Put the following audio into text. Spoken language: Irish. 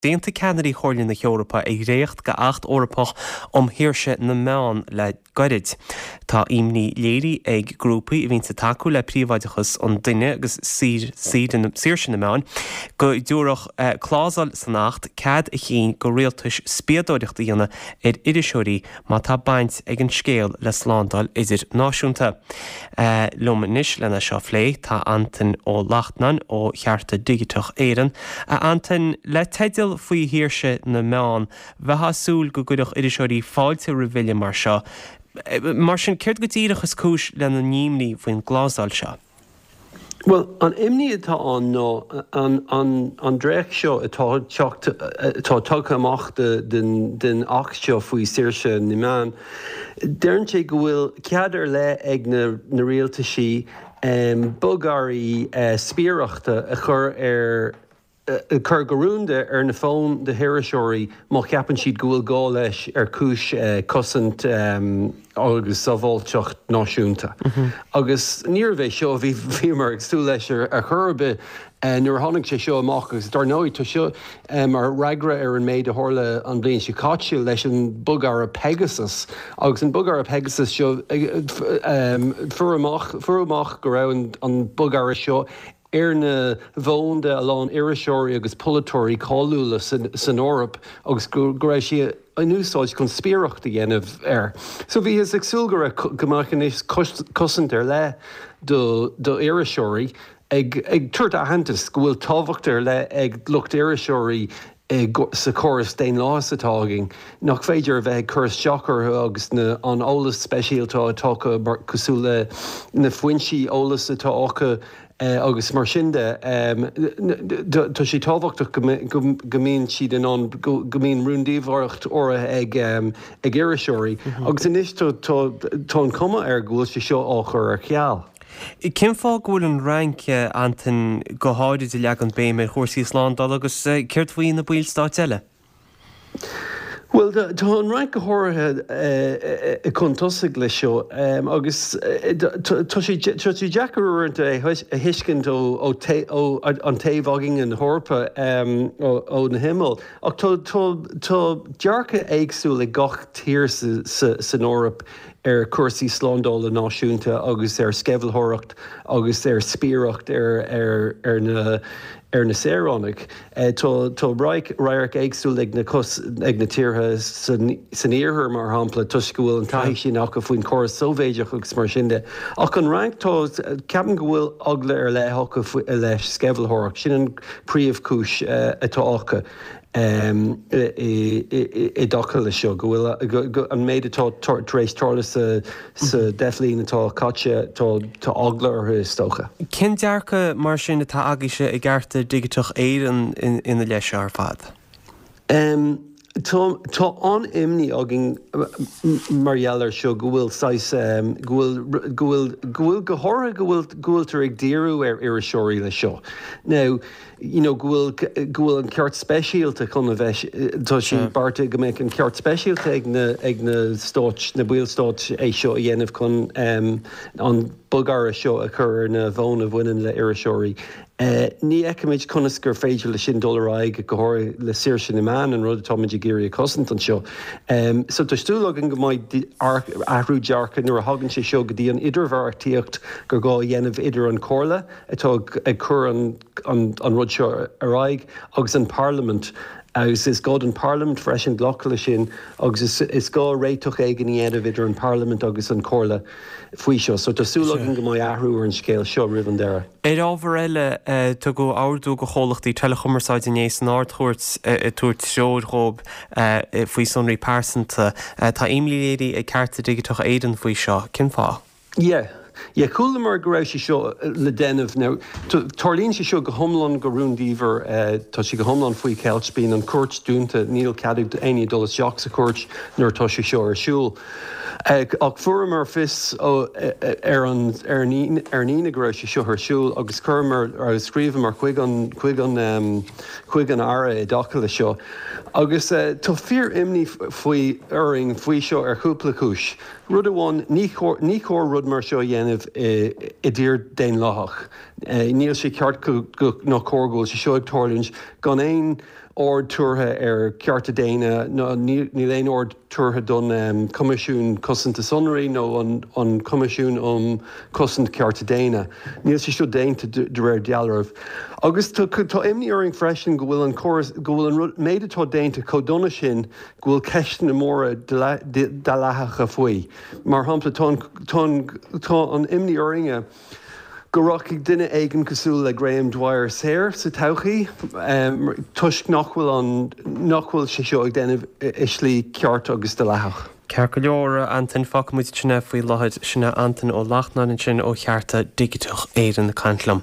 D'aontaigh ceannairí Chomhairle na hEorpa ar dhréacht de Acht Eorpach um Shaoirse na Meán le gairid. Tá imní léirithe ag grúpaí a bhíonns ag tacú le príobháideachas an duine agus saoirse na meán go dtabharfadh clásal san Acht cead a chinn go rialtais spiadóireacht a dhéanamh ar iriseoirí má tá baint ag an scéal le slándáil idirnáisiúnta. Liom anois lena seo a phlé tá Antain Ó Lachtnáin ó Chearta Digiteach Éireann. A Antain, le teideal faoi shaoirse na meán, bheifeá ag súil go gcuirfeadh iriseoirí fáilte roimh bhille mar seo. Mar sin, céard go díreach is cúis lena n-imní faoin gclásal seo? Bhuel, an imní atá ann ná an dréacht seo atá teacht, atá tagtha amach den Acht seo faoi saoirse na meán, deireann sé go bhfuil cead ar leith ag na rialtaisí bogearraí spiaireachta a chur ar cur go rúnda ar na fóin de hiriseoirí má cheapann siad go bhfuil gá leis ar chúis cosaint agus sábháilteacht náisiúnta. Agus níorbh é seo a bhí bhíomar ag súil leis ar chor ar bith nuair a tháinig sé seo amach agus dar ndóigh tá seo mar fhreagra ar an méid a tharla an bhliain seo caite leis an bogearra Pegasus agus an bogearra Pegasus seo fuair amach fuair amach go raibh an bogearra seo ar na bhfóin de a lán iriseoirí agus polaiteoirí cáiliúla san Eoraip agus go raibh sé in úsáid chun spiaireacht a dhéanamh air. So bhíothas ag súil go raibh, go mbeadh anois cosaint ar leith do iriseoirí, ag tabhairt aitheantas go bhfuil tábhacht ar leith ag lucht iriseoirí sa chóras daonlathas atá againn, nach féidir a bheith ag cur isteach orthu agus na an eolas speisialta atá acu mar cosúil le na foinsí eolais atá acu agus mar sin de. Tá sé tábhachtach go go mbíonn siad in ann go mbíonn rúndiamhracht áirithe ag ag iriseoirí agus anois tá tá tá an chuma air go bhfuil sé seo á chur ar ceal. Cén fáth go bhfuil an Fhrainc, Antain, go háirid ag leagan béim ar chúrsaí slándála agus céard faoi na ballstáit eile? Bhuel, tá an Fhrainc go háirithe chun tosaigh leis seo agus tá sé deacair uaireanta é a thuiscint ó an taobh againne na hEorpa, ó na himill. Ach tá dearcadh éagsúil ag gach tír san Eoraip ar chúrsaí slándála náisiúnta agus ar sceimhlitheoireacht agus ar spiaireacht ar na ar na saoránaigh. Tá radharc éagsúil ag na ag na tíortha san iarthar, mar shampla, toisc go bhfuil an taithí sin acu faoin chóras Sóivéideach agus mar sin de. Ach an Fhrainc, tá, ceapaim go bhfuil eagla ar leith acu i leith sceimhlitheoireacht. Sin an príomhchúis atá acu. i dtaca leis seo, go bhfuil an méid atá tar éis tarlú sa 10 bhliain atá caite, tá eagla orthu is dócha. Cén dearcadh mar sin atá agaibhse i gCearta Digiteach Éireann ina leith seo ar fad? Tá tá an-imní againn mar gheall air seo, go bhfuil saghas, go bhfuil, go bhfuil, go bhfuil, go háirithe go bhfuil, go bhfuiltear ag díriú ar iriseoirí leis seo. Now, you know, go bhfuil, go bhfuil an ceart speisialta chun a bheith, tá sé beartaithe go mbeadh an ceart speisialta ag na, ag na stáit, na ballstáit é seo a dhéanamh chun an bogearra seo a chur ar na bhfóin a bhaineann le iriseoirí. Ní fheicimid conas gur féidir leis sin dul ar aghaidh, go háirithe le saoirse na meán, an rud atáimid ag iarraidh a chosaint anseo. So tá súil againn go mbeidh athrú dearcaidh nuair a thagann sé seo go dtí an idirbheartaíocht gur gá a dhéanamh idir an Chomhairle atá ag cur an an rud seo ar aghaidh agus an Parlaimint agus is gá don Parlaimint freisin glacadh leis sin agus is gá réiteach éigin a dhéanamh idir an Parlaimint agus an Chomhairle faoi seo. So tá súil againn go mbeidh athrú ar an scéal seo roimh an deireadh. Ar ábhar eile, tugadh ordú do chomhlachtaí teileachumarsáide inné san Ard-Chúirt ag tabhairt treoir dhóibh faoi sonraí pearsanta. Tá imní léirithe ag Cearta Digiteacha Éireann faoi seo. Cén fáth? Yeah. Yeah, chualamar go raibh sé seo le déanamh. Now, tarlaíonn sé seo go hiomlán go rúndiamhair, tá sé go hiomlán faoi cheilt, bíonn an chúirt dúnta, níl cead ag éinne dul isteach sa chúirt nuair atá sé seo ar siúl. Ach fuaireamar fios ar an ar an Aoine go raibh sé seo ar siúl agus chuireamar agus scríobhamar chuig an chuig an chuig an Aire i dtaca le seo. Agus tá fíor-imní faoi orainn faoi seo ar chúpla cúis. Rud amháin, ní chóir, ní chóir rud mar seo a dhéanamh i dtír daonlathach. Níl sé ceart go, go, ná cóir go bhfuil sé seo ag tarlúint gan aon. aird tabhartha ar cearta daonna ná níl aon aird tabhartha don Coimisiún Cosanta Sonraí nó an Coimisiún um Chosaint Cearta Daonna. Níl sé seo déanta de réir dealraimh. Agus tá imní orainn freisin go bhfuil an córas, go bhfuil an rud, méid atá déanta chomh dona sin go bhfuil ceisteanna móra dleathacha faoi. Mar shampla, tá an, tá an, tá an imní orainne go rachaidh duine éigin cosúil le Graham Dwyer saor sa todhchaí toisc nach bhfuil an, nach bhfuil sé seo ag déanamh i slí ceart agus dleathach. Ceart go leor, a Antain, fágfaidh muid sin é faoi láthair. Sin é Antain Ó Lachtnáin ansin ó Chearta Digiteach Éireann ag caint liom.